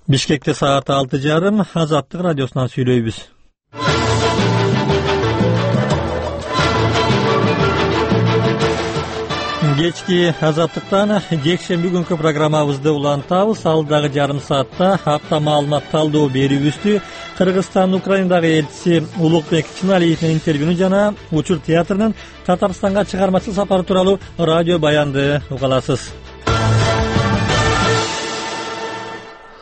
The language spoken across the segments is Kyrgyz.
Бишкекте саат 6:30 Азаттык радиосунан сүйлөйбүз. Кечки Азаттыктан жекшемби күнкү программабызды улантабыз. Алдагы жарым саатта апта маалымат талдоо берүүбүздү Кыргызстандын Украинадагы элчиси Улукбек Чыналиевдин интервьюну жана Учур театрынын Татарстанга чыгармачыл сапары тууралуу радио баянды уга аласыз.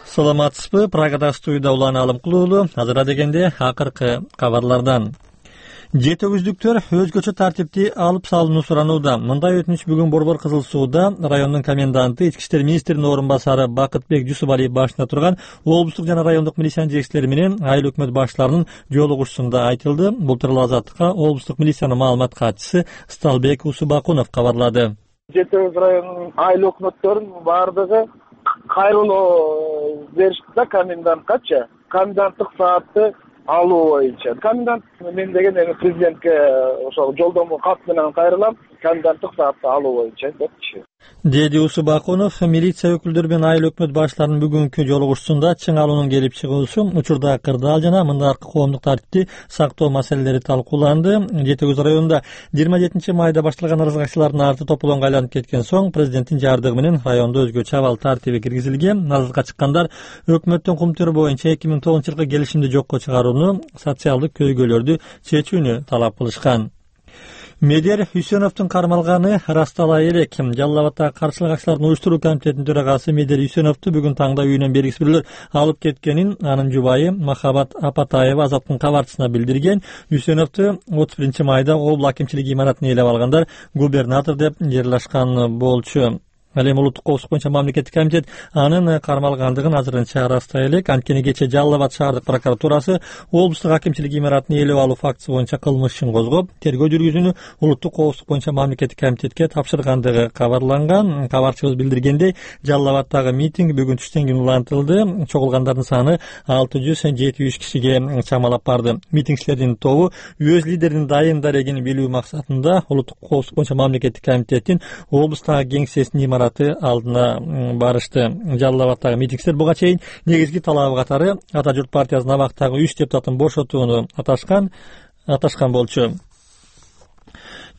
Саламатсызбы? Прагада студияда Улан Алымкулуу уулу. Азыра дегенде акыркы кабарлардан. Жетөгүздүктөр өзгөчө тартипти алып салууну суранууда. Мындай өтүнүч бүгүн Борбор Кызыл сууда райондун коменданты, ички иштер министринин орун басары Бакытбек Жусупалиев башында турган облустук жана райондук милициянын жетекчилери менен айыл өкмөт башчыларынын жолугушуусунда айтылды. Бул тууралуу Азаттыкка облустук милициянын маалымат катчысы Сталбек Усубакунов кабарлады. Жетөгүз районунун айыл өкмөттөрүнүн баардыгы кайрылуу беришти да коменданткачы. Коменданттык саатты алуу боюнча. Комендант мен деген эми президентке ошол жолдомо кат менен кайрылам, коменданттык саатты алуу боюнча депчи. Деди Усубакунов милиция өкүлдөрү менен айыл өкмөт башчыларынын бүгүнкү жолугушуусунда чың алуунун келип чыгуусу, учурдагы кырдаал жана мындагы коомдук тартипти сактоо маселелери талкууланды. Жетөгүз районунда 27 майда башталган наразылыкчылардын арты тополоңго айланып кеткен соң президенттин жардыгы менен райондо өзгөчө абал тартиби киргизилген. Наразылыкка чыккандар өкмөттүн кумтуру боюнча 2009-жылкы келишимди жокко чыгарууну, социалдык көйгөйлөрдү чечүүнү талап кылышкан. Медер Үсеновдун кармалганы ырастала элек. Жалал Абаддагы каршылык акцияларын уюштуруу комитетинин төрагасы Медер Үсеновду бүгүн таңда үйүнөн белгисиз бирөөлөр алып кеткенин анын жубайы Махабат Апатаева Азаттыктын кабарчысына билдирген. Үсеновду 31 майда облук акимчилиги имаратына ээлеп алгандар губернатор деп жырлашкан болчу. Ал эми улуттук коопсуздук боюнча мамлекеттик комитет анын кармалгандыгын азырынча ырастай элек. Анткени кечээ Жалал Абад шаардык прокуратурасы облустук акимчилик имаратына ээлеп алуу фактысы боюнча кылмыш ишин козгоп, тергөө жүргүзүүнү улуттук коопсуздук боюнча мамлекеттик комитетке тапшыргандыгы кабарланган. Кабарчыбыз билдиргендей, Жалал Абаддагы митинг бүгүн түштөн кийин улантылды. Чогулгандардын саны 673 кишиге чамалап барды. Митингчилердин тобу өз лидеринин дайым дарегин билүү максатында улуттук коопсуздук боюнча мамлекеттик комитеттин облустагы кеңсесинин алдына барышты. Жалал Абаддагы митингчилер буга чейин негизги талабы катары Ата журт партиясынын абактагы 3 депутатын бошотууну аташкан болчу.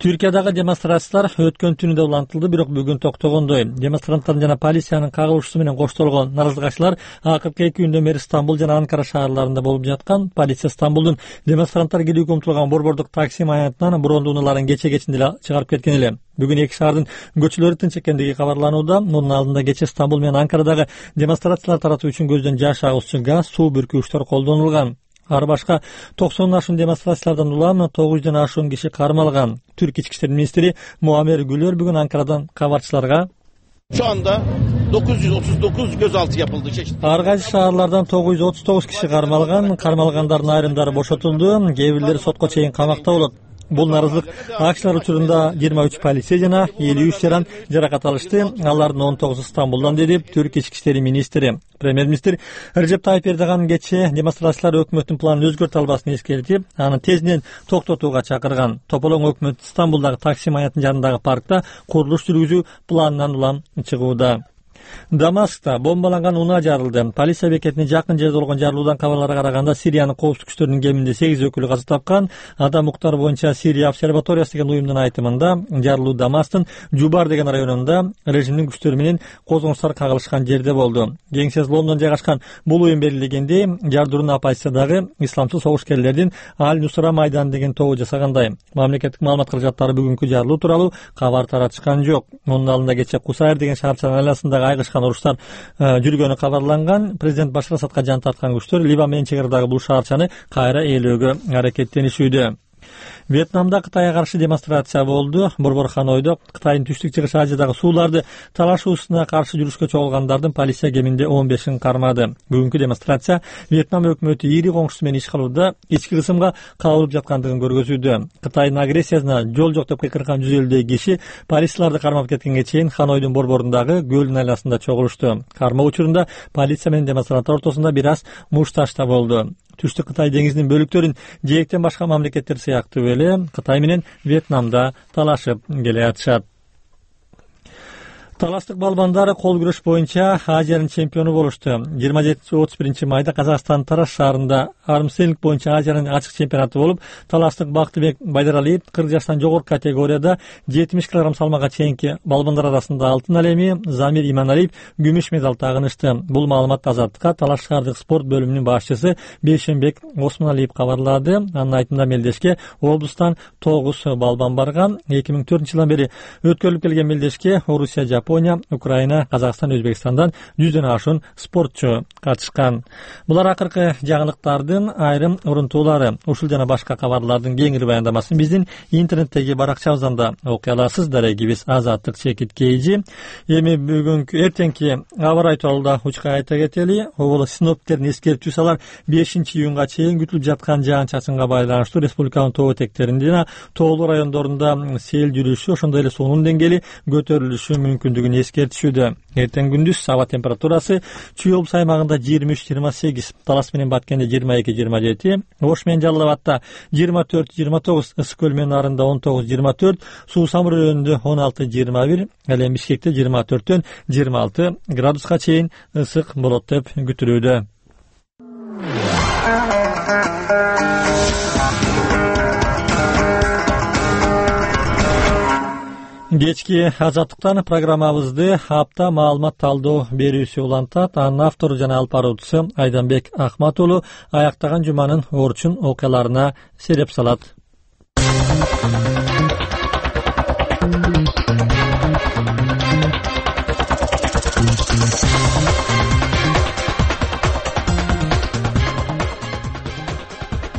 Түркиядагы демонстрациялар өткөн түнү да улантылды, бирок бүгүн токтогондой. Демонстранттардын жана полициянын кагылышуусу менен коштолгон наразылыкчылар акыркы 2 күндөн бери Стамбул жана Анкара шаарларында болуп жаткан. Полиция Стамбулдун демонстранттар келүүгө умтулган борбордук такси маянатынан брондуунуларын кече-кечинде эле чыгарып кеткен эле. Бүгүн эки шаардын көчөлөрү тынч экендиги кабарланууда. Мунун алдында кече Стамбул менен Анкарадагы демонстрациялар таратуу үчүн көздөн жаш агуучу газ, суу бүркүүчтөр колдонулган. Ар башка 90 ашуун демонстрациялардан улам 900 ашуун киши кармалган. Түрк ички иштер министри Муамер Гүлөр бүгүн Анкарадан кабарчыларга şu anda 939 gözaltı yapıldı. Ар кайсы шаарлардан 939 киши кармалган. Кармалгандардын айрымдары бошотулду, кээ бирлери сотко чейин камакта болот. Бул наразылык акчалар учурунда 23 полиция жана 53 жаран жаракат алышты. Алардын 19 Стамбулдан, деди Түрк ички иштер министри. Премьер-министр Режеп Тайып Эрдоган кече демонстрациялар өкмөттүн планын өзгөртө албасын эскертип, аны тезден токтотууга чакырган. Тополоң өкмөт Стамбулдагы такси маянатынын жанындагы паркта курулуш жүргүзүү планынан улам чыгууда. Дамаскта бомбаланган унаа жарылды. Полиция бекетине жакын жерде болгон жарылуудан кабарларга караганда Сириянын коопсуздук күчтөрүнүн кеминде 8 өкүлү каза тапкан. Адам укуктары боюнча Сирия обсерваториясы деген уюмдун айтымында жарылуу Дамастын Жубар деген районунда режимдин күчтөрү менен козгонуштар кагылышкан жерде болду. Кеңсес Лондон жайгашкан бул уюм белгилегендей, жардырууну оппозициядагы исламчыл согушкерлердин Аль-Нусра майданы деген тобу жасагандай. Мамлекеттик маалымат каражаттары бүгүнкү жарылуу тууралуу кабар таратышкан жок. Мунун алдында кече Кусайыр деген шаарчанын айланасындагы айгышкан уруштар жүргөнү кабарланган. Президент Башар Асадка жан тарткан күчтөр Ливан менен чек арадагы бул шаарчаны кайра ээлөөгө аракеттенишүүдө. Вьетнамда Кытайга каршы демонстрация болду. Борбор Ханойдо Кытайдын түштүк-чыгыш Азиядагы сууларды талашуусуна каршы жүрүшкө чогулгандардын полиция кеминде 15-ин кармады. Бүгүнкү демонстрация Вьетнам өкмөтү ири коңшусу менен иш кылууда ички кысымга кабылып жаткандыгын көргөзүүдө. Кытайдын агрессиясына жол жок деп кыйкырган 150 киши полицияларды кармап кеткенге чейин Ханойдун борборундагы көлдүн айласында чогулушту. Кармоо учурунда полиция менен демонстранттар ортосунда бир аз мушташ да болду. Түштүк Кытай деңизинин бөлүктөрүн жээктен башка мамлекеттер сыяктуу эле Кытай менен Вьетнамда талашып келе жатышат. Таластык балбандар кол күрөш боюнча Азиянын чемпиону болушту. 27-31 майда Казакстан Тараз шаарында армстейлинг боюнча Азиянын ачык чемпионаты болуп, таластык Бактыбек Байдаралиев 40 жаштан жогорку категорияда 70 кг салмакка чейинки балбандар арасында алтын алеми, Замир Иманалиев күмүш медаль тагынышты. Бул маалыматты Азаттыкка Талаш шаардык спорт бөлүмүнүн башчысы Бейшенбек Осмоналиев кабарлады. Анын айтымында мелдешке облустан 9 балбан барган. 2004-жылдан бери өткөрүлүп келген мелдешке Орусия, Япония, Украина, Казакстан, Өзбекстандан 100дөн ашуун спортчу катышкан. Булар акыркы жаңылыктардын айрым урунтуулары. Ушул жана башка кабарлардын кеңири баяндамасын биздин интернеттеги баракчабыздан да окуй аласыз. Дарегибиз Азаттык чекит KG. Эми бүгүнкү эртеңки аба ырайы тууралуу да учка айта кетели. Обол синоптиктердин эскертүүсү 5-июнга чейин күтүлүп жаткан жаан-чачынга байланыштуу республиканын тоо этектеринде жана тоолуу райондорунда сел жүрүшү, ошондой эле суунун деңгээли көтөрүлүшү мүмкүндүгүн эскертишүүдө. Эртең күндүз аба температурасы Чүй облус аймагында 23-28, Талас менен Баткенде 22-27, Ош менен Жалал Абадта 24-29, Ысык көл менен Нарында 19-24, Суу Самыр районунда 16-21, ал эми Бишкекте 24-төн 26 градуска чейин ысык болот деп күтүлүүдө. Кечки Азаттыктан программабызды апта маалымат талдоо берүүсү улантат. Анын автору жана алып баруучусу Айданбек Ахмат уулу аяктаган жуманын орчун окуяларына сереп салат.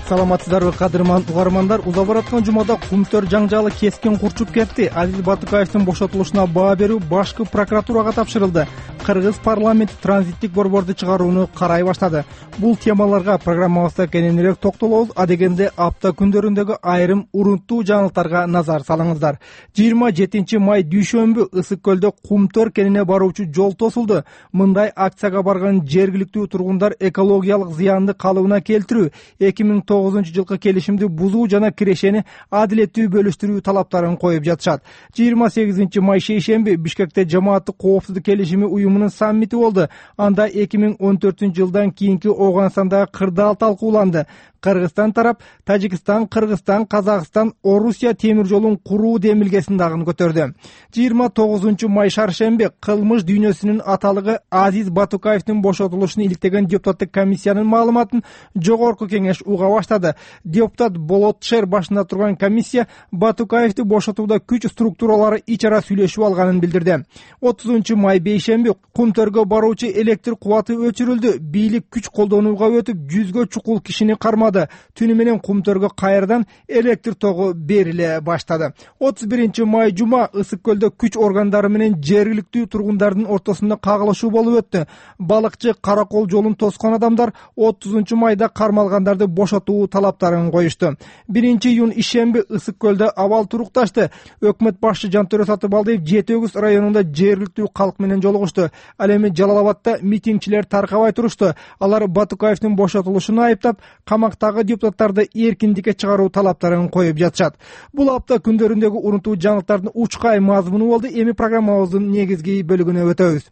Саламатсыздарбы кадырман угармандар, уза бараткан жумада Кумтөр жаңжалы кескин курчуп кетти. Азиз Батукаевдин бошотулушуна баа берүү башкы прокуратурага тапшырылды. Кыргыз парламенти транзиттик борборду чыгарууну карай баштады. Бул темаларга программабызда кененирээк токтолобуз. Адегенде апта күндөрүндөгү айрым урунттуу жаңылыктарга назар салыңыздар. 27 май дүйшөмбү Ысык көлдө Кумтөр кенине баруучу жол тосулду. Мындай акцияга барган жергиликтүү тургундар экологиялык зыянды калыбына келтирүү, 2009-жылкы келишимди бузуу жана кирешени адилеттүү бөлүштүрүү талаптарын коюп жатышат. 28 май шейшемби Бишкекте жамааттык коопсуздук келишими уюмунун саммити болду. Анда 2014-жылдан кийинки Ооганстандагы кырдаал талкууланды. Кыргызстан тарап Тажикстан, Кыргызстан, Казакстан, Орусия темир жолун куруу демилгесин дагы көтөрдү. 29 май шаршемби кылмыш дүйнөсүнүн аталыгы Азиз Батукаевдин бошотулушун иликтеген депутаттык комиссиянын маалыматын жогорку кеңеш уга баштады. Депутат Болот Шер башында турган комиссия Батукаевди бошотууда күч структуралары ич ара сүйлөшүп алганын билдирди. 30 май бейшемби Кумтөргө баруучу электр кубаты өчүрүлдү. Бийлик күч колдонууга өтүп, 100гө чукул кишини кармады. Түнү менен Кумтөргө кайрадан электр тогу бериле баштады. 31 май жума Ысык көлдө күч органдары менен жергиликтүү тургундардын ортосунда кагылышуу болуп өттү. Балыкчы Каракол жолун тоскон адамдар 30 майда кармалгандарды бошотуу талаптарын коюшту. 1-июнь ишемби Ысык көлдө абал турукташты. Өкмөт башчы Жантөрө Сатыбалдиев Жети-Өгүз районунда жергиликтүү калк менен жолугушту. Ал эми Жалал Абадта митингчилер таркабай турушту. Алар Батукаевдин бошотулушун айыптап, камакта депутаттарды эркиндикке чыгаруу талаптарын коюп жатышат. Бул апта күндөрүндөгү урунтуу жаңылыктардын учкай мазмуну болду. Эми программабыздын негизги бөлүгүнө өтөбүз.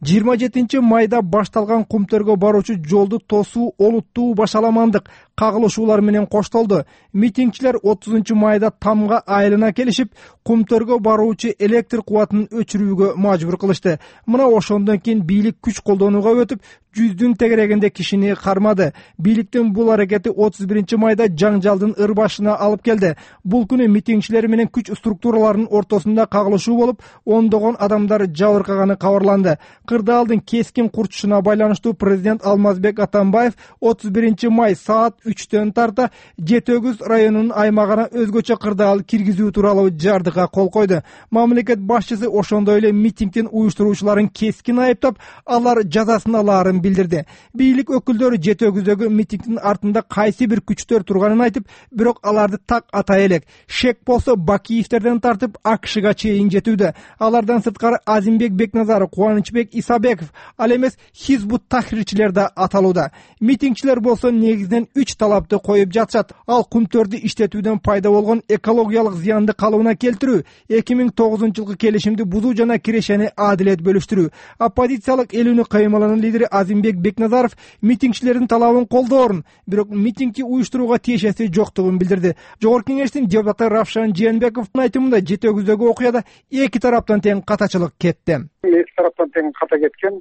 27 майда башталган Кумтөргө баруучу жолду тосуу олуттуу башаламандык кагылышуулар менен коштолду. Митингчилер 30 майда тамга айылына келишип, Кумтөргө баруучу электр кубатын өчүрүүгө мажбур кылышты. Мына ошондон кийин бийлик күч колдонууга өтүп, 100дүн тегерегинде кишини кармады. Бийликтин бул аракети 31 майда жаңжалдын ырбашына алып келди. Бул күнү митингчилер менен күч структураларынын ортосунда кагылышуу болуп, ондогон адамдар жабыркаганы кабарланды. Кырдаалдын кескин курчушуна байланыштуу президент Алмазбек Атамбаев 31 май саат 3төн тарта Жети-Өгүз районунун аймагына өзгөчө кырдаал киргизүү тууралуу жардыга кол койду. Мамлекет башчысы ошондой эле митингдин уюштуруучуларын кескин айыптап, алар жазасын алаарын билдирди. Бийлик өкүлдөрү Жети-Өгүздөгү митингдин артында кайсы бир күчтөр турганын айтып, бирок аларды так атай элек. Шек болсо Бакиевтерден тартып АКШга чейин жетүүдө. Алардан сырткары Азимбек Бекназаров, Кубанычбек Исабеков, ал эмес Хизбут Тахрирчилер да аталууда. Митингчилер болсо негизинен 3 талапты коюп жатышат. Ал кумтөрдү иштетүүдөн пайда болгон экологиялык зыянды калыбына келтирүү, 2009-жылкы келишимди бузуу жана кирешени адилет бөлүштүрүү. Оппозициялык эл үнү каймалынын лидери Азимбек Бекназаров митингчилердин талабын колдоорун, бирок митингди уюштурууга тиешеси жоктугун билдирди. Жогорку кеңештин депутаты Равшан Жээнбековдун айтымында Жете өгүздөгү окуяда эки тараптан тең катачылык кетти. Эки тараптан тең ката кеткен.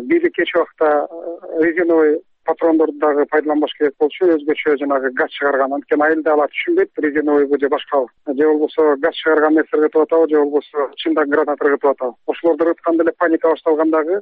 Бири кеч убакта резиновый патрондорду дагы пайдаланбаш керек болчу, өзгөчө жанагы газ чыгарган. Анткени айылда алар түшүнбөйт, резиновыйбы же башкабы. Же болбосо газ чыгарган нерсе ыргытып атабы, же болбосо чындан граната ыргытып атабы. Ошолорду ыргытканда эле паника башталгандагы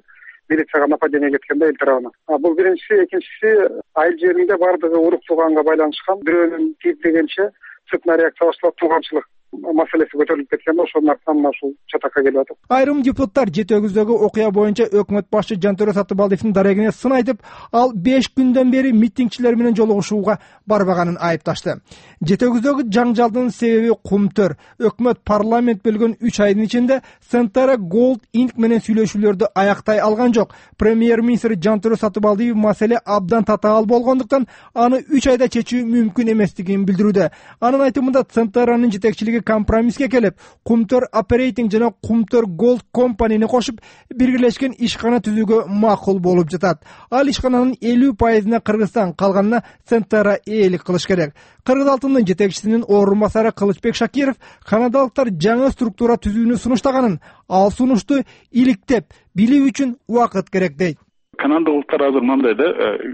милицияга нападение кеткен да эл тарабынан. Бул биринчиси. Экинчиси, айыл жеринде бардыгы урук-тууганга байланышкан. Бирөөнүн тийиплегенче цепная реакция башталып, тууганчылык маселеси көтөрүлүп кеткен да, ошонун артынан ушул чатакка келип атат. Айрым депутаттар Жете өгүздөгү окуя боюнча өкмөт башчы Жантөрө Сатыбалдиевдин дарегине сын айтып, ал 5 күндөн бери митингчилер менен жолугушууга барбаганын айыпташты. Жете өгүздөгү жаңжалдын себеби кумтөр. Өкмөт парламент бөлгөн 3 айдын ичинде Centara Gold Inc менен сүйлөшүүлөрдү аяктай алган жок. Премьер-министр Жантөрө Сатыбалдиев маселе абдан татаал болгондуктан аны 3 айда чечүү мүмкүн эместигин билдирүүдө. Анын айтымында Centara'нын жетекчилиги компромисске келип, Кумтөр Operating жана Кумтөр Gold Company'ни кошуп, биргелешкен ишкана түзүүгө макул болуп жатат. Ал ишкананын 50%-на Кыргызстан, калганына Centara ээлик кылыш керек. Кыргыз алтындын жетекчисинин орун басары Кылычбек Шакиров канадалыктар жаңы структура түзүүнү сунуштаганын, ал сунушту иликтеп билүү үчүн убакыт керек дейт. Канадалыктар азыр мындай да,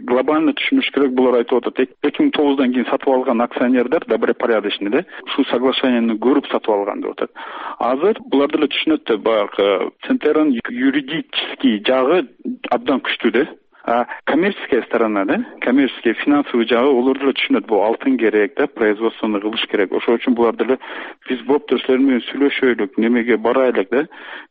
глобально түшүнүш керек, булар айтып атат. 2009-дан кийин сатып алган акционерлер добропорядочный да, ушул соглашениени көрүп сатып алган деп атат. Азыр булар деле түшүнөт да, баягы Centera'нын юридический жагы абдан күчтүү да. Коммерческая сторона да, коммерческий финансовый жагы олар деле түшүнөт, бул алтын керек да, производствону кылыш керек. Ошол үчүн булар деле биз болуптур силер менен сүйлөшөйлүк, немеге барайлык да,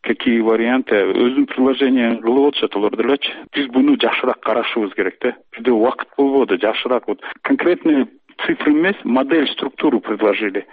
какие варианты, өзүнүн предложенияларын кылып атышат олар делечи. Биз буну жакшыраак карашыбыз керек да. Бизде убакыт болбоду, жакшыраак вот конкретный цифры эмес, модель, структуру предложили.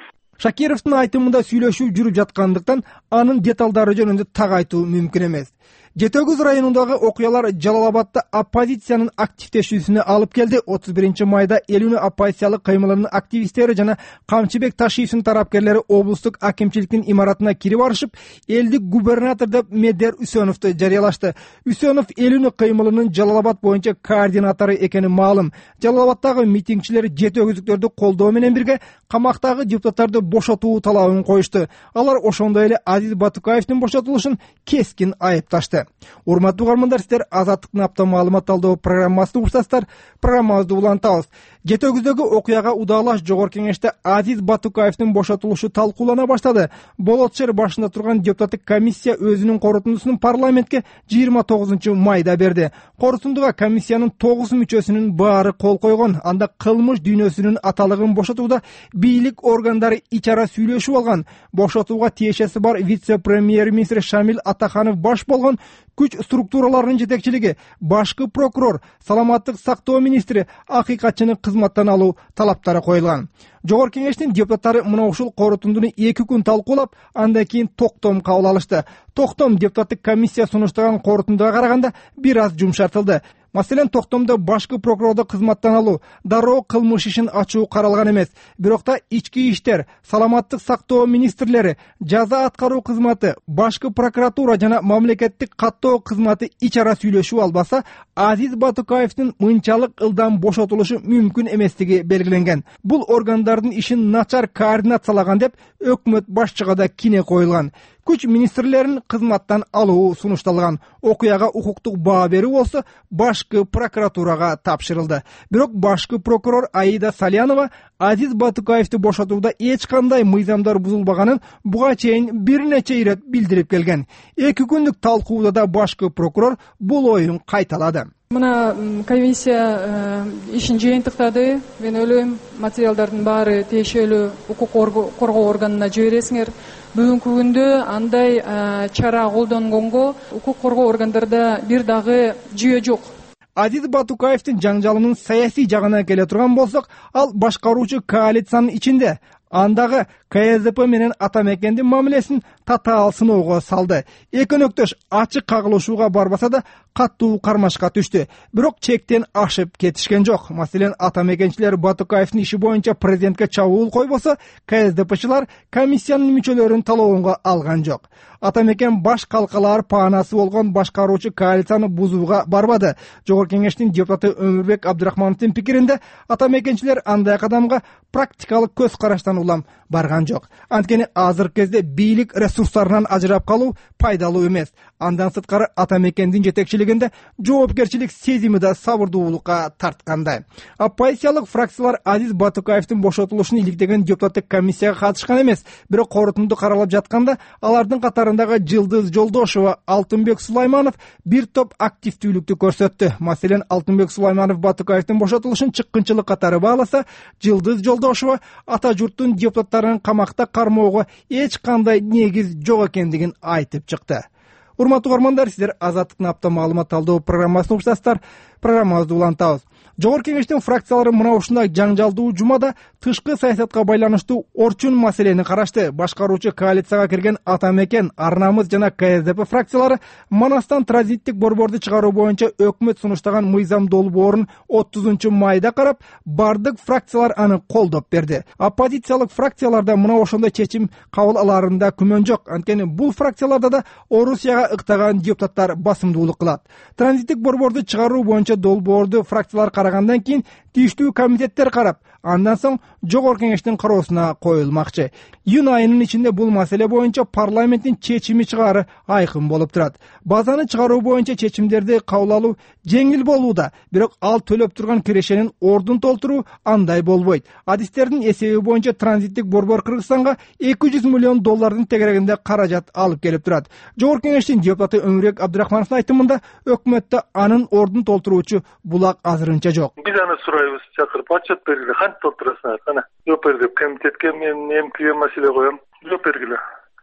Шакировдун айтымында сүйлөшүү жүрүп жаткандыктан анын деталдары жөнүндө так айтуу мүмкүн эмес. Жете өгүз районундагы окуялар Жалал-Абадда оппозициянын активдешүүсүнө алып келди. 31 майда эл үнү оппозициялык каймаларынын активисттери жана Камчыбек Ташиевдин тарапкерлери облустук акимчиликтин имаратына кирип барышып, элдик губернатор деп Медер Үсөновду жарыялашты. Үсөнов эл үнү каймалынын Жалал-Абад боюнча координатору экени маалым. Жалал-Абаддагы митингчилер жете өгүздүктөрдү колдоо менен бирге камактагы депутаттарды бошотуу талабын коюшту. Алар ошондой эле Азиз Батукаевдин бошотулушун кескин айыпташты. Урматтуу угармандар, сиздер Азаттыктын апта маалымат талдоо программасын угушасыздар. Программабызды улантабыз. Жете өгүздөгү окуяга удаалаш жогорку кеңеште Азиз Батукаевдин бошотулушу талкуулана баштады. Болот шаар башында турган депутаттык комиссия өзүнүн корутундусун парламентке 29 майда берди. Корутундуга комиссиянын 9 мүчөсүнүн баары кол койгон. Анда кылмыш дүйнөсүнүн аталыгын бошотууда бийлик органдары ичара сүйлөшүп алган. Бошотууга тиешеси бар вице-премьер-министр Шамил Атаханов баш болгон күч структураларынын жетекчилиги, башкы прокурор, саламаттык сактоо министри, акыйкатчыны кызматтан алуу талаптары коюлган. Жогорку кеңештин депутаттары мына ушул корутундуну 2 күн талкуулап, андан кийин токтом кабыл алышты. Токтом депутаттык комиссия сунуштаган корутундуга караганда бир аз жумшартылды. Маселен, токтомдо башкы прокурорду кызматтан алуу, дароо кылмыш ишин ачуу каралган эмес. Бирок да ички иштер, саламаттык сактоо министрлери, жаза аткаруу кызматы, башкы прокуратура жана мамлекеттик каттоо кызматы ичара сүйлөшүп албаса, Азиз Батукаевдин мынчалык ылдам бошотулушу мүмкүн эместиги белгиленген. Бул органдардын ишин начар координациялаган деп өкмөт башчыга да кине коюлган. Күч министрлерин кызматтан алуу сунушталган. Окуяга укуктук баа берүү болсо башкы прокуратурага тапшырылды. Бирок башкы прокурор Аида Салянова Азиз Батукаевди бошотууда эч кандай мыйзамдар бузулбаганын буга чейин бир нече ирет билдирип келген. 2 күндүк талкууда да башкы прокурор бул оюн кайталады. Мына комиссия ишин жыйынтыктады. Мен ойлойм, материалдардын баары тиешелүү укук коргоо органына жибересиңер. Бүгүнкү күндө андай чара колдонгонго укук коргоо органдарда бир дагы жүйө жок. Азиз Батукаевдин жаңжалынын саясий жагына келе турган болсок, ал башкаруучу коалициянын ичинде. Андагы КСДП менен Атамекендин мамилесин татаал сыноого салды. Экөнөктөш ачык кагылышууга барбаса да каттуу кармашка түштү. Бирок чектен ашып кетишкен жок. Маселен, ата мекенчилер Батукаевдин иши боюнча президентке чабуул койбосо, КСДПчылар комиссиянын мүчөлөрүн талоонго алган жок. Ата мекен баш калкалар паанасы болгон башкаруучу коалицияны бузууга барбады. Жогорку кеңештин депутаты Өмүрбек Абдрахмановдун пикиринде, ата мекенчилер андай кадамга практикалык көз караштан улам барган жок. Анткени азыркы кезде бийлик ресурстарынан ажырап калуу пайдалуу эмес. Андан сырткары ата мекендин жетекчилигинде жоопкерчилик сезими да сабырдуулукка тарткандай. Оппозициялык фракциялар Азиз Батукаевдин бошотулушун иликтеген депутаттык комиссияга катышкан эмес. Бирок корутунду каралап жатканда алардын катарындагы Жылдыз Жолдошова, Алтынбек Сулайманов бир топ активдүүлүктү көрсөттү. Маселен, Алтынбек Сулайманов Батукаевдин бошотулушун чыккынчылык катары бааласа, Жылдыз Жолдошова ата журттун депутаттарын камакта кармоого эч кандай негиз жок экендигин айтып чыкты. Урматтуу угармандар, сиздер Азаттыктын апта маалымат талдоо программасын уктасыздар. Программабызды улантабыз. Жогорку кеңештин фракциялары мына ушундай жаңжалдуу жумада тышкы саясатка байланыштуу орчун маселени карашты. Башкаруучу коалицияга кирген Ата мекен, Ар намыс жана КСДП фракциялары Манастан транзиттик борборду чыгаруу боюнча өкмөт сунуштаган мыйзам долбоорун 30 майда карап, бардык фракциялар аны колдоп берди. Оппозициялык фракцияларда мына ошондой чечим кабыл аларында күмөн жок. Анткени бул фракцияларда да Орусияга ыктаган депутаттар басымдуулук кылат. Транзиттик борборду чыгаруу боюнча долбоорду фракциялар карагандан кийин тийиштүү комитеттер карап, андан соң жогорку кеңештин кароосуна коюлмакчы. Июнь айынын ичинде бул маселе боюнча парламенттин чечими чыгаары айкын болуп турат. Базаны чыгаруу боюнча чечимдерди кабыл алуу жеңил болууда, бирок ал төлөп турган кирешенин ордун толтуруу андай болбойт. Адистердин эсеби боюнча транзиттик борбор Кыргызстанга $200 миллион тегерегинде каражат алып келип турат. Жогорку кеңештин депутаты Өмүрбек Абдрахмановдун айтымында, өкмөттө анын ордун толтуруучу булак азырынча жок. Биз аны сурайбыз, чакырып отчет бергиле, кантип толтурасыңар? Кана, жооп бер деп комитетке мен эмкиге маселе коем. Жооп бергиле.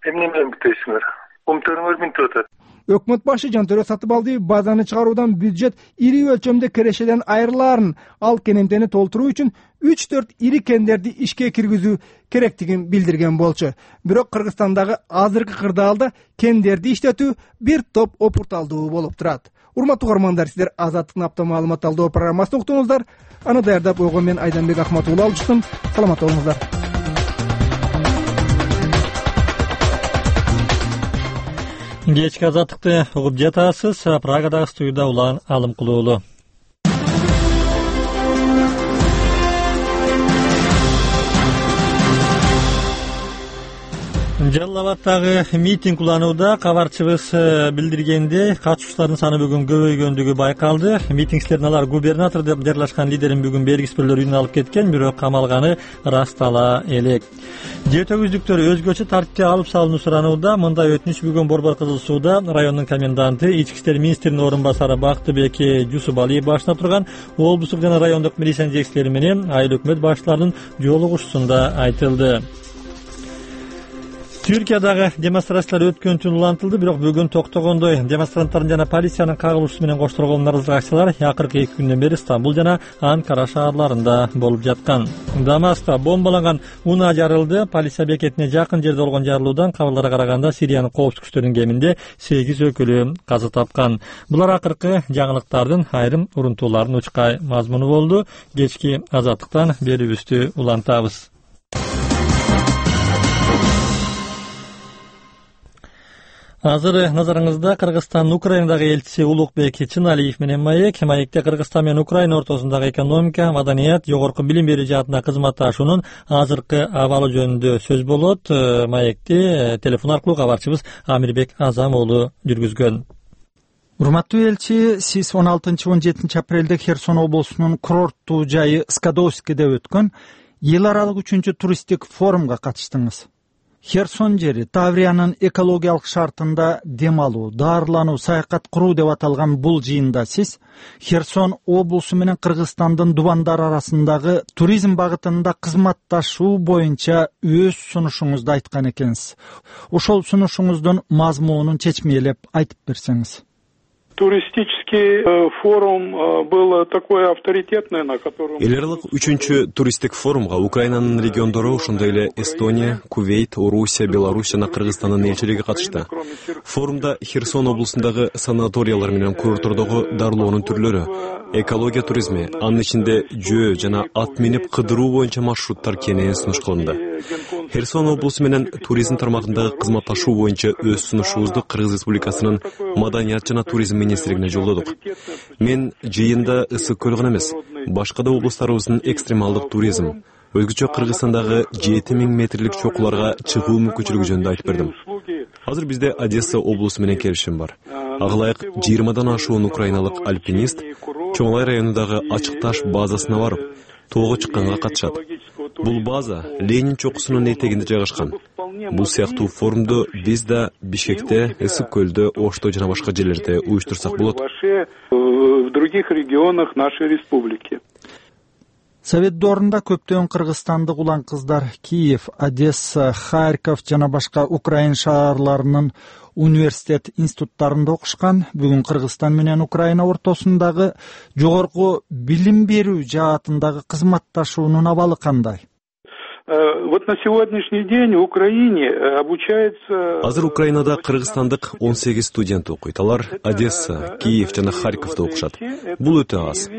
Эмне менен бүтөйсүңөр? Умтөрүңөр минтип атат. Өкмөт башы Жантөрө Сатыбалдиев базаны чыгаруудан бюджет ири өлчөмдө кирешеден айрылаарын, ал кенемтени толтуруу үчүн 3-4 ири кендерди ишке киргизүү керектигин билдирген болчу. Бирок Кыргызстандагы азыркы кырдаалда кендерди иштетүү бир топ опурталдуу болуп турат. Урматтуу угармандар, сиздер Азаттыктын апта маалымат талдоо программасын уктуңуздар. Аны даярдап койгон мен Айданбек Ахматуулы алчыстым. Саламат болуңуздар. Кечки Азаттыкты угуп жатасыз. Прагадагы студияда Улан Алымкулуулу. Жалал Абадтагы митинг уланууда кабарчыбыз билдиргендей, катышуучулардын саны бүгүн көбөйгөндүгү байкалды. Митингчилердин алар губернатор деп жарлашкан лидерин бүгүн бергиспирлер үйүнө алып кеткен, бирок камалганы ырастала элек. Жетөгүздүктөр өзгөчө тартипте алып салууну суранууда. Мындай өтүнүч бүгүн Борбор Кызыл сууда райондун коменданты, ички иштер министринин орун басары Бактыбек Жусубалиев башына турган облустук жана райондук милициянын жетекчилери менен айыл өкмөт башчыларынын жолугушуусунда айтылды. Түркиядагы демонстрациялар өткөн түн улантылды, бирок бүгүн токтогондой. Демонстранттардын жана полициянын кагылышуусу менен коштолгон нарызылык акциялар акыркы 2 күндөн бери Стамбул жана Анкара шаарларында болуп жаткан. Дамаскта бомбаланган унаа жарылды. Полиция бекетине жакын жерде болгон жарылуудан кабарларга караганда Сириянын коопсуздук күчтөрүнүн кеминде 8 өкүлү каза тапкан. Булар акыркы жаңылыктардын айрым урунтууларынын учкай мазмуну болду. Кечки Азаттыктан берүүбүздү улантабыз. Азыр назарыңызда Кыргызстандын Украинадагы элчиси Улукбек Чыналиев менен маек. Маекте Кыргызстан менен Украина ортосундагы экономика, маданият, жогорку билим берүү жаатында кызматташуунун азыркы абалы жөнүндө сөз болот. Маекти телефон аркылуу кабарчыбыз Амирбек Азам уулу жүргүзгөн. Урматтуу элчи, сиз 16-17 апрелде Херсон облусунун курорттуу жайы Скадовскийде өткөн эл аралык 3-чү туристтик форумга катыштыңыз. Херсон жери Тавриянын экологиялык шартында дем алуу, даарылануу, саякат куруу деп аталган бул жыйында сиз Херсон облусу менен Кыргызстандын дубандар арасындагы туризм багытында кызматташуу боюнча өз сунушуңузду айткан экенсиз. Ошол сунушуңуздун мазмунун чечмелеп айтып берсеңиз. туристический форум был такой авторитетный, на котором... Эл аралык 3-чү туристтик форумга Украинанын региондору, ошондой эле Эстония, Кувейт, Орусия, Беларусь жана Кыргызстандын элчилиги катышты. Форумда Херсон облусундагы санаториялар менен курортордогу дарылоонун түрлөрү, экология туризми, анын ичинде жөө жана ат минип кыдыруу боюнча маршруттар кенен сунуш кылынды. Херсон облусу менен туризм тармагындагы кызматташуу боюнча өз сунушубузду Кыргыз Республикасынын маданият жана туризм министрлигине жолдодук. Мен жыйында ысык көл гана эмес, башка да облустарыбыздын экстремалдык туризм, өзгөчө Кыргызстандагы 7000 метрлик чокуларга чыгуу мүмкүнчүлүгү жөнүндө айтып бердим. Азыр бизде Одесса облусу менен келишим бар. Ага ылайык 20дан ашуун украиналык альпинист Чоңлай районундагы ачык таш базасына барып, тоого чыкканга катышат. Бул база Ленин чокусунун этегинде жайгашкан. Бул сыяктуу форумду биз да Бишкекте, Ысык көлдө, Ошто жана башка жерлерде уюштурсак болот. В других регионах нашей республики. Совет доорунда көптөгөн кыргызстандык улан кыздар Киев, Одесса, Харьков жана башка Украин шаарларынын университет институттарында окушкан. Бүгүн Кыргызстан менен Украина ортосундагы жогорку билим берүү жаатындагы кызматташуунун абалы кандай? Вот на сегодняшний день в Украине обучается... Азыр Украинада кыргызстандык 18 студент окуйт. Алар Одесса, Киев жана Харьковдо окушат. Бул өтө аз.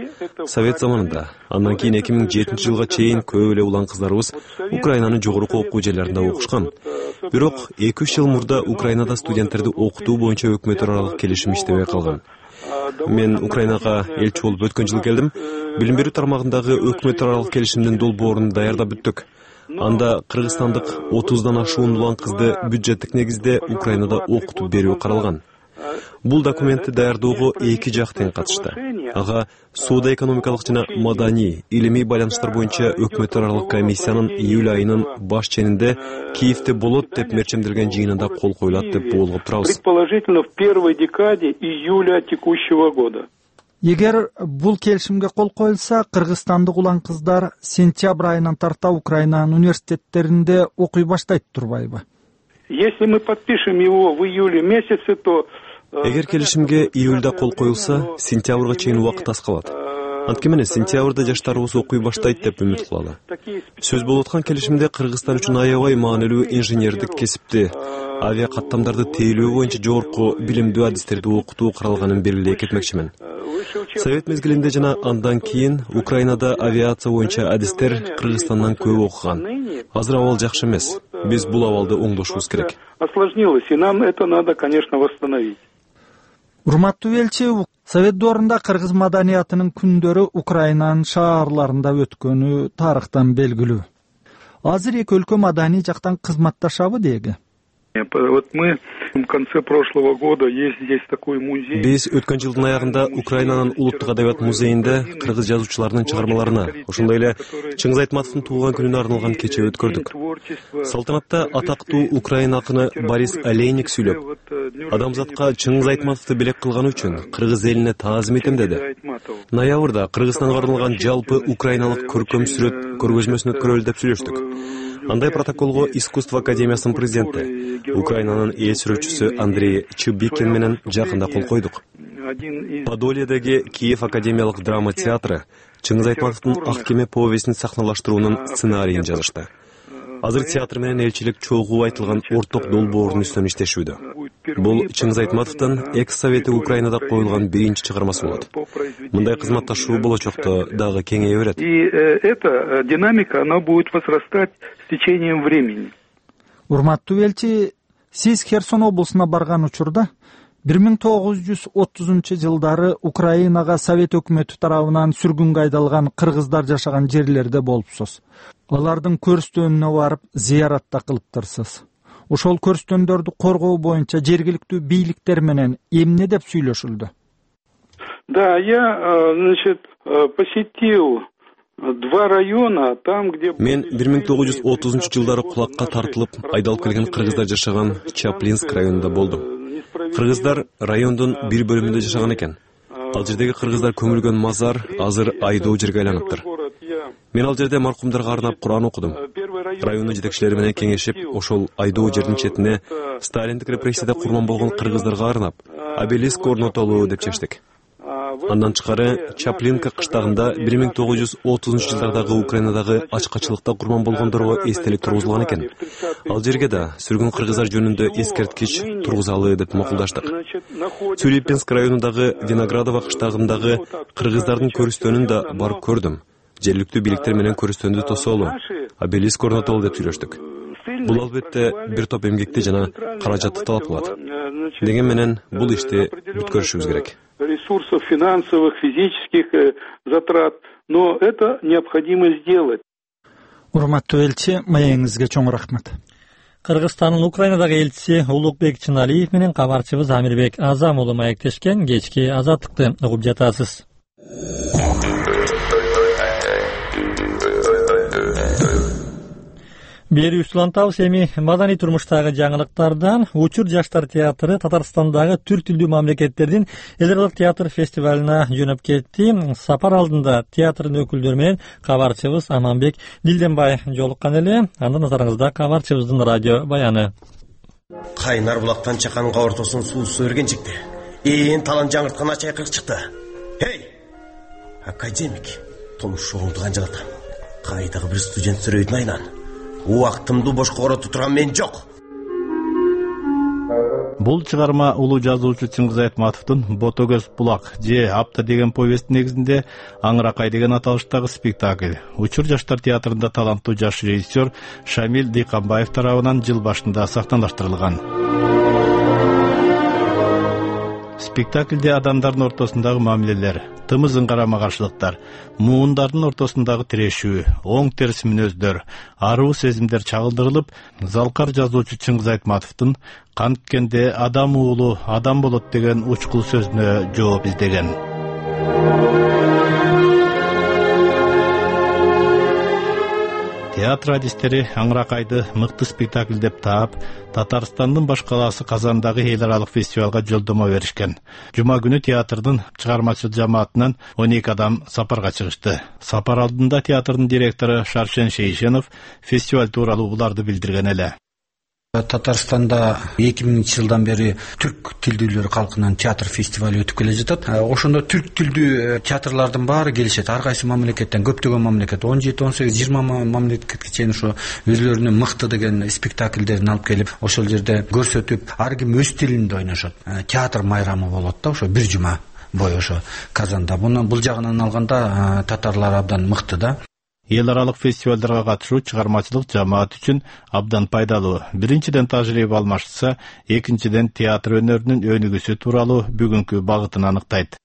Совет заманында, андан кийин 2007 жылга чейин көп эле улан кыздарыбыз Украинанын жогорку окуу жерлеринде окушкан. Бирок 2-3 жыл мурда Украинада студенттерди окутуу боюнча өкмөт аралык келишим иштебей калган. Мен Украинага элчи болуп өткөн жылы келдим. Билим берүү тармагындагы өкмөт аралык келишимдин долбоорун даярдап бүттүк. Анда кыргызстандык 30дан ашуун улан кызды бюджеттик негизде Украинада окутуп берүү каралган. Бул документти даярдоого 2 жак тең катышты. Ага соода-экономикалык жана маданий, илимий байланыштар боюнча өкмөт аралык комиссиянын июль айынын баш ченинде Киевде болот деп мерчемделген жыйынында кол коюлат деп болгоп турабыз. Предположительно в первой декаде июля текущего года. Эгер бул келишимге кол коюлса, кыргызстандык улан кыздар сентябрь айынан тарта Украинанын университеттеринде окуй баштайт турбайбы? Если мы подпишем его в июле месяце, то... Эгер келишимге июльда кол коюлса, сентябрга чейин убакыт аз калат. Анткени сентябрда жаштарыбыз окуй баштайт деп үмүт кылалы. Сөз болуп аткан келишимде Кыргызстан үчүн аябай маанилүү инженердик кесипти, авиа каттамдарды тейлөө боюнча жогорку билимдүү адистерди окутуу каралганын белгилей кетмекчимин. Совет мезгилинде жана андан кийин Украинада авиация боюнча адистер Кыргызстандан көп окуган. Азыр абал жакшы эмес. Биз бул абалды оңдошубуз керек. Осложнилось, и нам это надо, конечно, восстановить. Урматтуу элчи, Совет доорунда кыргыз маданиятынын күндөрү Украинанын шаарларында өткөнү тарыхтан белгилүү. Азыр эки өлкө маданий жактан кызматташабы деги? Вот мы в конце прошлого года есть здесь такой музей. Биз өткөн жылдын аягында Украинанын улуттук адабият музейинде кыргыз жазуучуларынын чыгармаларына, ошондой эле Чыңгыз Айтматовдун туулган күнүнө арналган кече өткөрдүк. Салтанатта атактуу украин акыны Борис Олейник сүйлөп, адамзатка Чыңгыз Айтматовду белек кылганы үчүн кыргыз элине таазим этем деди. Ноябрда Кыргызстанга арналган жалпы украиналык көркөм сүрөт көргөзмөсүн өткөрөлү деп сүйлөштүк. Андай протоколго Искусство академиясынын президенти, Украинанын эл сүрөтчүсү Андрей Чубикин менен жакында кол койдук. Подольедеги Киев академиялык драма театры Чыңгыз Айтматовдун Ак кеме повестин сахналаштыруунун сценарийин жазышты. Азыр театр менен элчилик чогуу айтылган орток долбоордун үстүнөн иштешүүдө. Бул Чыңгыз Айтматовдун экс-совети Украинада коюлган биринчи чыгармасы болот. Мындай кызматташуу болочокто дагы кеңейе берет. И эта динамика, она будет возрастать с течением времени. Урматтуу элчи, сиз Херсон облусуна барган учурда 1930-жылдары Украинага Совет өкмөтү тарабынан сүргүнгө айдалган кыргыздар жашаган жерлерде болупсуз. Алардын көрүстөнүнө барып зыярат да кылыптырсыз. Ошол көрүстөндөрдү коргоо боюнча жергиликтүү бийликтер менен эмне деп сүйлөшүлдү? Да, я, посетил 2 района, там, где... Мен 1930-жылдары кулакка тартылып айдалып келген кыргыздар жашаган Чаплинск районунда болдум. Кыргыздар райондун бир бөлүмүндө жашаган экен. Ал жердеги кыргыздар көмүлгөн мазар азыр айдоо жерге айланыптыр. Мен ал жерде маркумдарга арнап Куран окудум. Райондун жетекчилери менен кеңешип, ошол айдоо жердин четине сталиндик репрессияда курман болгон кыргыздарга арнап, обелиск орнотолуу деп чечтик. Андан тышкары Чаплинка кыштагында 1930-жылдардагы Украинадагы ачкачылыкта курман болгондорго эстелик тургузулган экен. Ал жерге да сүргүн кыргыздар жөнүндө эскерткич тургузалы деп макулдаштык. Цюрипинск районундагы Виноградово кыштагындагы кыргыздардын көрүстөнүн да барып көрдүм. Жергиликтүү бийликтер менен көрүстөндү тосолу, обелиск орнотолу деп сүйлөштүк. Бул албетте бир топ эмгекти жана каражатты талап кылат. Деген менен бул ишти бүткөрүшүбүз керек. Ресурсов финансовых, физических затрат, но это необходимо сделать. Урматтуу элчи, маегиңизге чоң рахмат. Кыргызстандын Украинадагы элчиси Улукбек Чыналиев менен кабарчыбыз Амирбек Азам уулу маектешкен кечки азаттыкты угуп жатасыз. Бери устулантабыз эми маданий турмуштагы жаңылыктардан. Учур жаштар театры Татарстандагы түрк тилдүү мамлекеттердин эл аралык театр фестивалына жөнөп кетти. Сапар алдында театрдын өкүлдөрү менен кабарчыбыз Аманбек Дилденбай жолуккан эле. Андан назарыңызда кабарчыбыздын радио баяны. Кайнар булактан чаканга ортосун суусу өргенчикти. Ээн талан жаңырткан чайкырык чыкты. Хей! Академик, томушуңду канжалат. Кайдагы бир студент сүрөйдүн айнан. Убактымды бошко коротуп турган мен жок. Бул чыгарма улуу жазуучу Чыңгыз Айтматовдун Ботогөз булак же апта деген повесттин негизинде Аңыракай деген аталыштагы спектакль. Учур жаштар театрында таланттуу жаш режиссер Шамил Дыйканбаев тарабынан жыл башында сахналаштырылган. Спектакльде адамдардын ортосундагы мамилелер, тымызын карама каршылыктар, муундардын ортосундагы тирешүү, оң терс мүнөздөр, аруу сезимдер чагылдырылып, залкар жазуучу Чыңгыз Айтматовдун канткенде адам уулу адам болот деген учкул сөзүнө жооп издеген. Театр адистери Аңыракайды мыкты спектакль деп таап, Татарстандын баш калаасы Казандагы эл аралык фестивалга жолдомо беришкен. Жума күнү театрдын чыгармачыл жамаатынан 12 адам сапарга чыгышты. Сапар алдында театрдын директору Шаршен Шейшенов фестиваль тууралуу буларды билдирген эле. Татарстанда 2000-жылдан бери түрк тилдүүлөр калкынын театр фестивали өтүп келе жатат. Ошондо түрк тилдүү театрлардын баары келишет. Ар кайсы мамлекеттен, көптөгөн мамлекет, 17, 18, 20 мамлекетке чейин ошо өзлөрүнүн мыкты деген спектакльдерин алып келип, ошол жерде көрсөтүп, ар ким өз тилинде ойношот. Театр майрамы болот да, ошо бир жума бою ошо Казанда. Бул жагынан алганда татарлар абдан мыкты да. Эл аралык фестивалдарга катышуу чыгармачылык жамаат үчүн абдан пайдалуу. Биринчиден тажрыйба алмашса, экинчиден театр өнөрүнүн өнүгүүсү тууралуу бүгүнкү багытын аныктайт.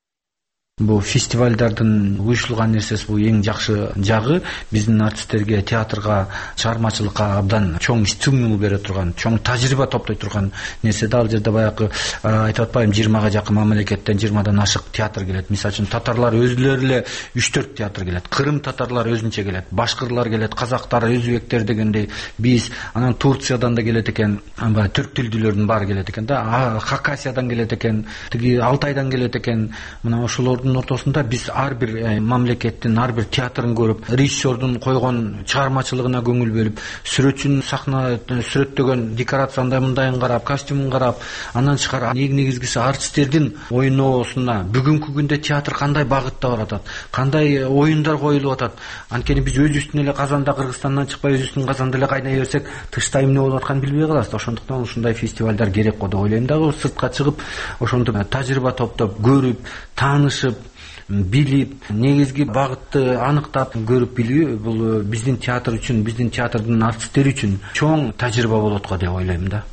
Бул фестивалдардын уюштурулган нерсеси бул эң жакшы жагы биздин артисттерге, театрга, чыгармачылыкка абдан чоң стимул бере турган, чоң тажрыйба топтой турган нерсе да. Ал жерде баягы айтып атпайм, 20га жакын мамлекеттен 20дан ашык театр келет. Мисалы үчүн татарлар өзлөрү эле 3-4 театр келет. Кырым татарлар өзүнчө келет, башкырлар келет, казактар, өзбектер дегендей биз, анан Турциядан да келет экен, түрк тилдүүлөрдүн баары келет экен да. Хакасиядан келет экен, тиги Алтайдан келет экен. Мына ошолордун ортосунда биз ар бир мамлекеттин ар бир театрын көрүп, режиссердун койгон чыгармачылыгына көңүл бөлүп, сүрөтчүнүн сахна сүрөттөгөн декорацияны мындайын карап, костюмун карап, андан тышкары эң негизгиси артисттердин ойноосуна, бүгүнкү күндө театр кандай багытта баратат, кандай оюндар коюлуп атат. Анткени биз өзүбүздүн эле Казанда, Кыргызстандан чыкпай өзүбүздүн Казанда эле кайнай берсек, тышта эмне болуп атканын билбей калабыз. Ошондуктан ушундай фестивалдар керек го деп ойлойм дагы. Сыртка чыгып, ошондо тажрыйба топтоп, көрүп, таанышып, билип, негизги багытты аныктап көрүп билүү бул биздин театр үчүн, биздин театрдын артисттери үчүн чоң тажрыйба болот го деп ойлойм да.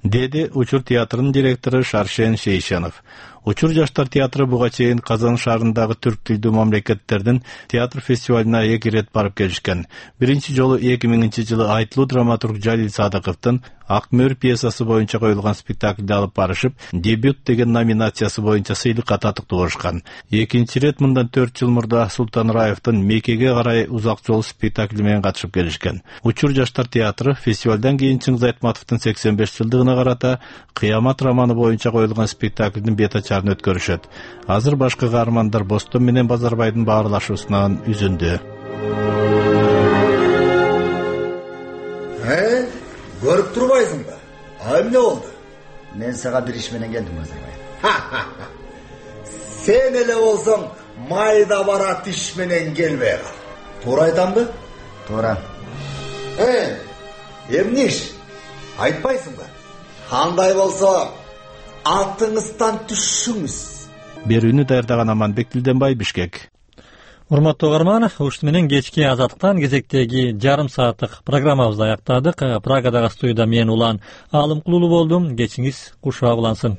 Деди Учур театрынын директору Шаршен Шейшенов. Учур жаштар театры буга чейин Казан шаарындагы түрк тилдүү мамлекеттердин театр фестивалына 2 рет барып келишкен. Биринчи жолу 2000-жылы айтылуу драматург Жалил Садыковдун Ак мөр пьесасы боюнча коюлган спектакльди алып барышып, дебют деген номинациясы боюнча сыйлыкка татыктуу болушкан. Экинчи рет мындан 4 жыл мурда Султан Раевдин Мекеге карай узак жол спектакли менен катышып келишкен. Учур жаштар театры фестивалдан кийин Чыңгыз Айтматовдун 85 жылдыгына карата Кыямат романы боюнча коюлган спектаклдин бета-чарын өткөрүшөт. Азыр башкы каармандар Бостон менен Базарбайдын баарлашуусунан үзүндү. Көрүп турбайсыңбы? Эмне болду? Мен сага бир иш менен келдим, Базарбай. Сен эле болсоң майда бара тиш менен келбей кал. Туура айтамбы? Туура. Эмне иш? Айтпайсыңбы? Кандай болсо атыңыздан түшүңүз. Берүүнү даярдаган Аманбек Дилденбай, Бишкек. Урматтуу угарман, ушуну менен кечки Азаттыктан кезектеги жарым сааттык программабызды аяктадык. Прагадагы студияда мен Улан Алымкулуу болдум. Кечиңиз кушак улансын.